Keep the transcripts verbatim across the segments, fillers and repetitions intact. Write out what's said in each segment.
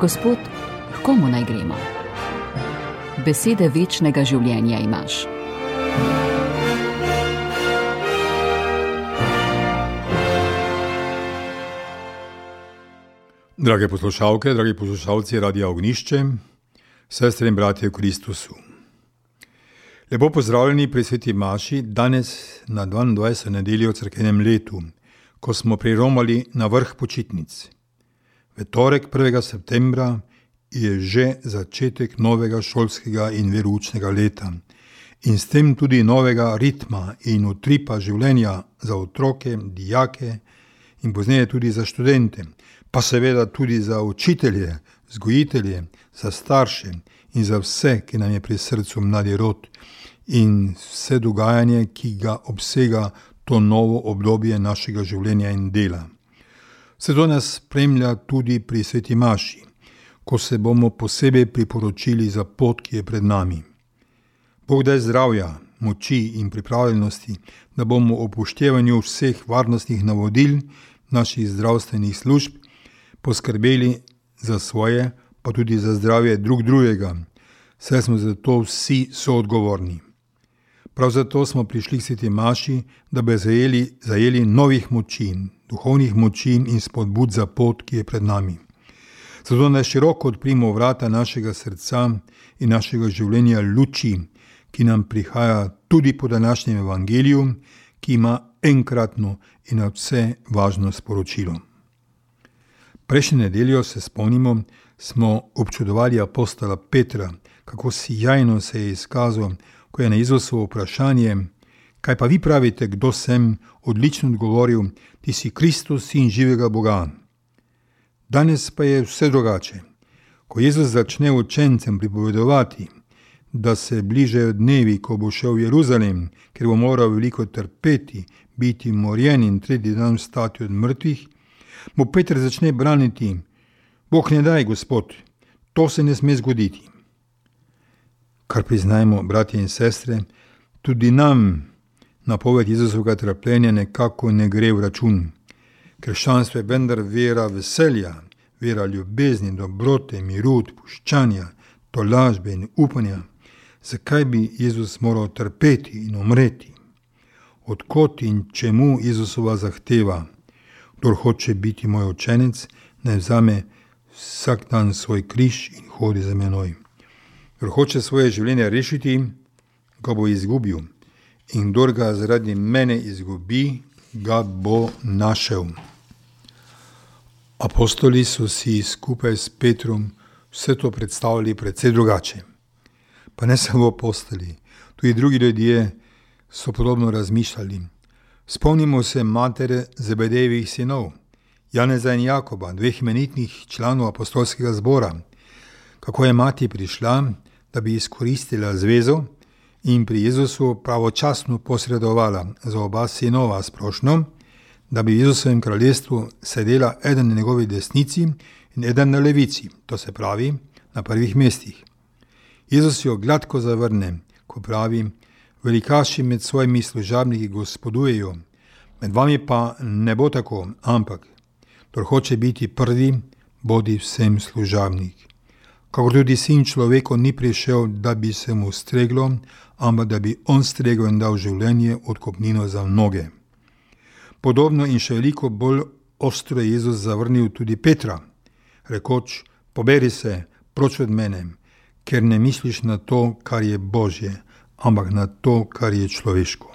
Gospod, h komu naj gremo? Besede večnega življenja imaš. Drage poslušalke, dragi poslušalci Radia Ognjišče, sestre in bratje v Kristusu. Lepo pozdravljeni pri sveti maši danes na dvaindvajseto nedeljo v cerkvenem letu, ko smo priromali na vrh počitnic. V torek prvega septembra je že začetek novega šolskega in veroučnega leta in s tem tudi novega ritma in utripa življenja za otroke, dijake in pozneje tudi za študente, pa seveda tudi za učitelje, vzgojitelje, za starše in za vse, ki nam je pri srcu mladi rod in vse dogajanje, ki ga obsega to novo obdobje našega življenja in dela. Vse to nas spremlja tudi pri sveti maši, ko se bomo posebej priporočili za pot, ki je pred nami. Bog daj zdravja, moči in pripravljenosti, da bomo ob upoštevanju vseh varnostnih navodil naših zdravstvenih služb poskrbeli za svoje, pa tudi za zdravje drug drugega, saj smo za to vsi soodgovorni. Prav zato smo prišli k sveti maši, da bi zajeli, zajeli novih moči, duhovnih moči in spodbud za pot, ki je pred nami. Zato naj široko odprimo vrata našega srca in našega življenja luči, ki nam prihaja tudi po današnjem evangeliju, ki ima enkratno in na vse važno sporočilo. Prejšnjo nedeljo, se spomnimo, smo občudovali apostola Petra, kako sijajno se je izkazal, ko je na Jezusovo vprašanje, kaj pa vi pravite, kdo sem, odlično odgovoril, ti si Kristus, sin živega Boga. Danes pa je vse drugače. Ko Jezus začne učencem pripovedovati, da se bližajo dnevi, ko bo šel v Jeruzalem, ker bo moral veliko trpeti, biti morjen in tretji dan vstati od mrtvih, mu Peter začne braniti, Bog ne daj, Gospod, to se ne sme zgoditi. Kar priznajmo, bratje in sestre, tudi nam napoved Jezusovega trpljenja nekako ne gre v račun. Krščanstvo je vendar vera veselja, vera ljubezni, dobrote, miru, odpuščanja, tolažbe in upanja. Zakaj bi Jezus moral trpeti in umreti? Od kod in čemu Jezusova zahteva? Kdor hoče biti moj učenec, naj vzame vsak dan svoj križ in hodi za menoj. Kdor hoče svoje življenje rešiti, ga bo izgubil. In kdor ga zaradi mene izgubi, ga bo našel. Apostoli so si skupaj s Petrom vse to predstavljali precej drugače. Pa ne samo apostoli, tudi drugi ljudje so podobno razmišljali. Spomnimo se matere Zebedejevih sinov, Janeza in Jakoba, dveh imenitnih članov apostolskega zbora, kako je mati prišla, da bi izkoristila zvezo in pri Jezusu pravočasno posredovala za oba sinova sprošno, da bi v Jezusovem kraljestvu sedela eden na njegovi desnici in eden na levici, to se pravi na prvih mestih. Jezus jo gladko zavrne, ko pravi, velikaši med svojimi služabniki gospodujejo, med vami pa ne bo tako, ampak, kdor hoče biti prvi, bodi vsem služabnik. Kakor tudi sin človeku ni prišel, da bi se mu streglo, ampak da bi on stregel in dal življenje odkupnino za mnoge. Podobno in še veliko bolj ostro je Jezus zavrnil tudi Petra, rekoč, poberi se, proč od mene, ker ne misliš na to, kar je Božje, ampak na to, kar je človeško.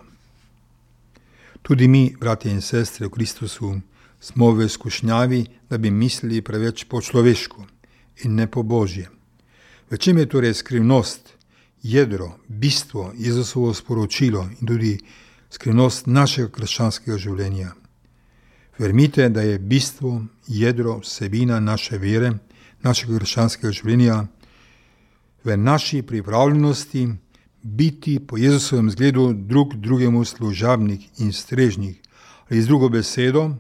Tudi mi, bratje in sestre v Kristusu, smo v skušnjavi, da bi mislili preveč po človeško in ne po Božje. V čem je torej skrivnost, jedro, bistvo, Jezusovo sporočilo in tudi skrivnost našega krščanskega življenja? Vermite, da je bistvo, jedro, vsebina naše vere, našega krščanskega življenja v naši pripravljenosti biti po Jezusovem zgledu drug drugemu služabnik in strežnik. Ali z drugo besedo,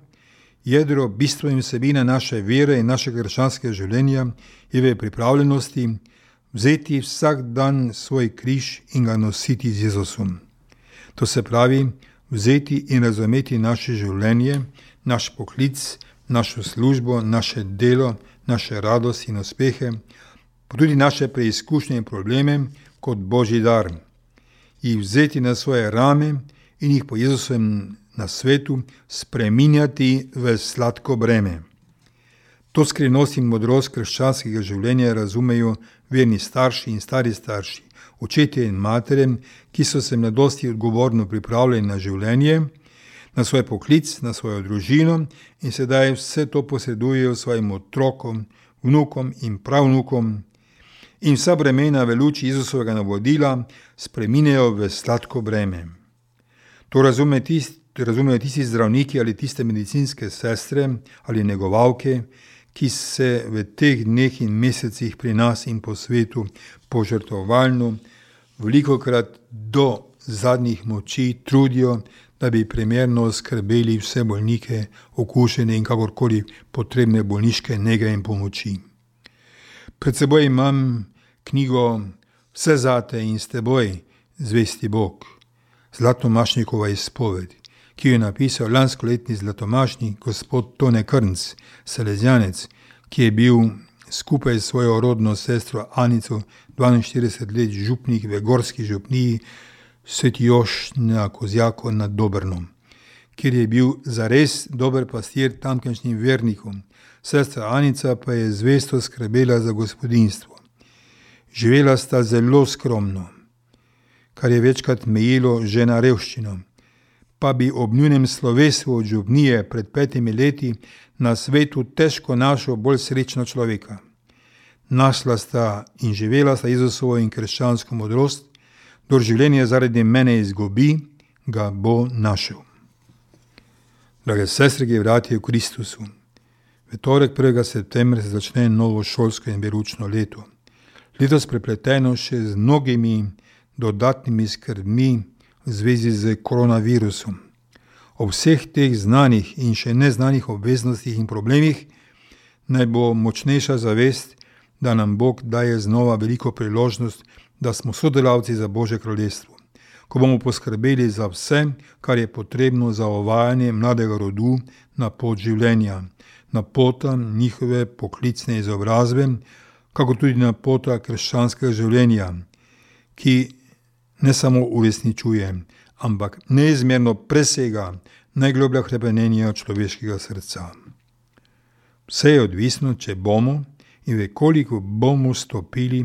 jedro, bistvo in vsebina naše vere in našega krščanskega življenja je v pripravljenosti vzeti vsak dan svoj križ in ga nositi z Jezusom. To se pravi, vzeti in razumeti naše življenje, naš poklic, našo službo, naše delo, naše radosti in uspehe, pa tudi naše preizkušnje in probleme kot Božji dar, jih vzeti na svoje rame in jih po Jezusovem nasvetu spreminjati v sladko breme. To skrivnost in modrost krščanskega življenja razumejo verni starši in stari starši, očetje in matere, ki so se mladosti odgovorno pripravljali na življenje, na svoj poklic, na svojo družino in sedaj vse to posredujejo svojim otrokom, vnukom in pravnukom in vsa bremena v luči Jezusovega navodila spreminjajo v sladko breme. To razume tist, razumejo tisti zdravniki ali tiste medicinske sestre ali negovalke, ki se v teh dneh in mesecih pri nas in po svetu požrtvovalno, velikokrat do zadnjih moči trudijo, da bi primerno skrbeli vse bolnike, okužene in kakorkoli potrebne bolniške nege in pomoči. Pred seboj imam knjigo Vse zate in s teboj, zvesti Bog, Zlatomašnikova izpoved, ki jo je napisal lanskoletni zlatomašnik gospod Tone Krnc, Salezjanec, ki je bil skupaj s svojo rodno sestro Anico dvainštirideset let župnik v gorski župniji Sveti Jošt na Kozjaku nad Dobrnom, kjer je bil zares dober pastir tamkajšnjim vernikom. Sestra Anica pa je zvesto skrbela za gospodinjstvo. Živela sta zelo skromno, kar je večkrat mejilo že na revščino, pa bi ob njunem slovesu od župnije pred petimi leti na svetu težko našel bolj srečno človeka. Našla sta in živela sta Jezusovo in krščansko modrost, kdor življenje zaradi mene izgubi, ga bo našel. Drage sestre in bratje v Kristusu, v torek prvega septembra se začne novo šolsko in veroučno leto. Letos prepleteno še z mnogimi dodatnimi skrbmi v zvezi z koronavirusom. Ob vseh teh znanih in še neznanih obveznostih in problemih naj bo močnejša zavest, da nam Bog daje znova veliko priložnost, da smo sodelavci za Božje kraljestvo, ko bomo poskrbeli za vse, kar je potrebno za uvajanje mladega rodu na pot življenja, na pota njihove poklicne izobrazbe, kako tudi na pota krščanskega življenja, ki ne samo uresničuje, ampak neizmerno presega najgloblja hrepenenja človeškega srca. Vse je odvisno, če bomo in v koliko bomo stopili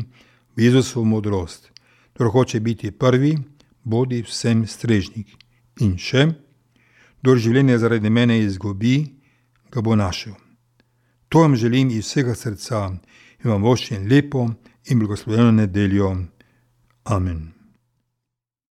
v Jezusovo modrost. Kdor hoče biti prvi, bodi vsem strežnik. In še, kdor življenje zaradi mene izgubi, ga bo našel. To vam želim iz vsega srca in vam voščim lepo in blagoslovljeno nedeljo. Amen.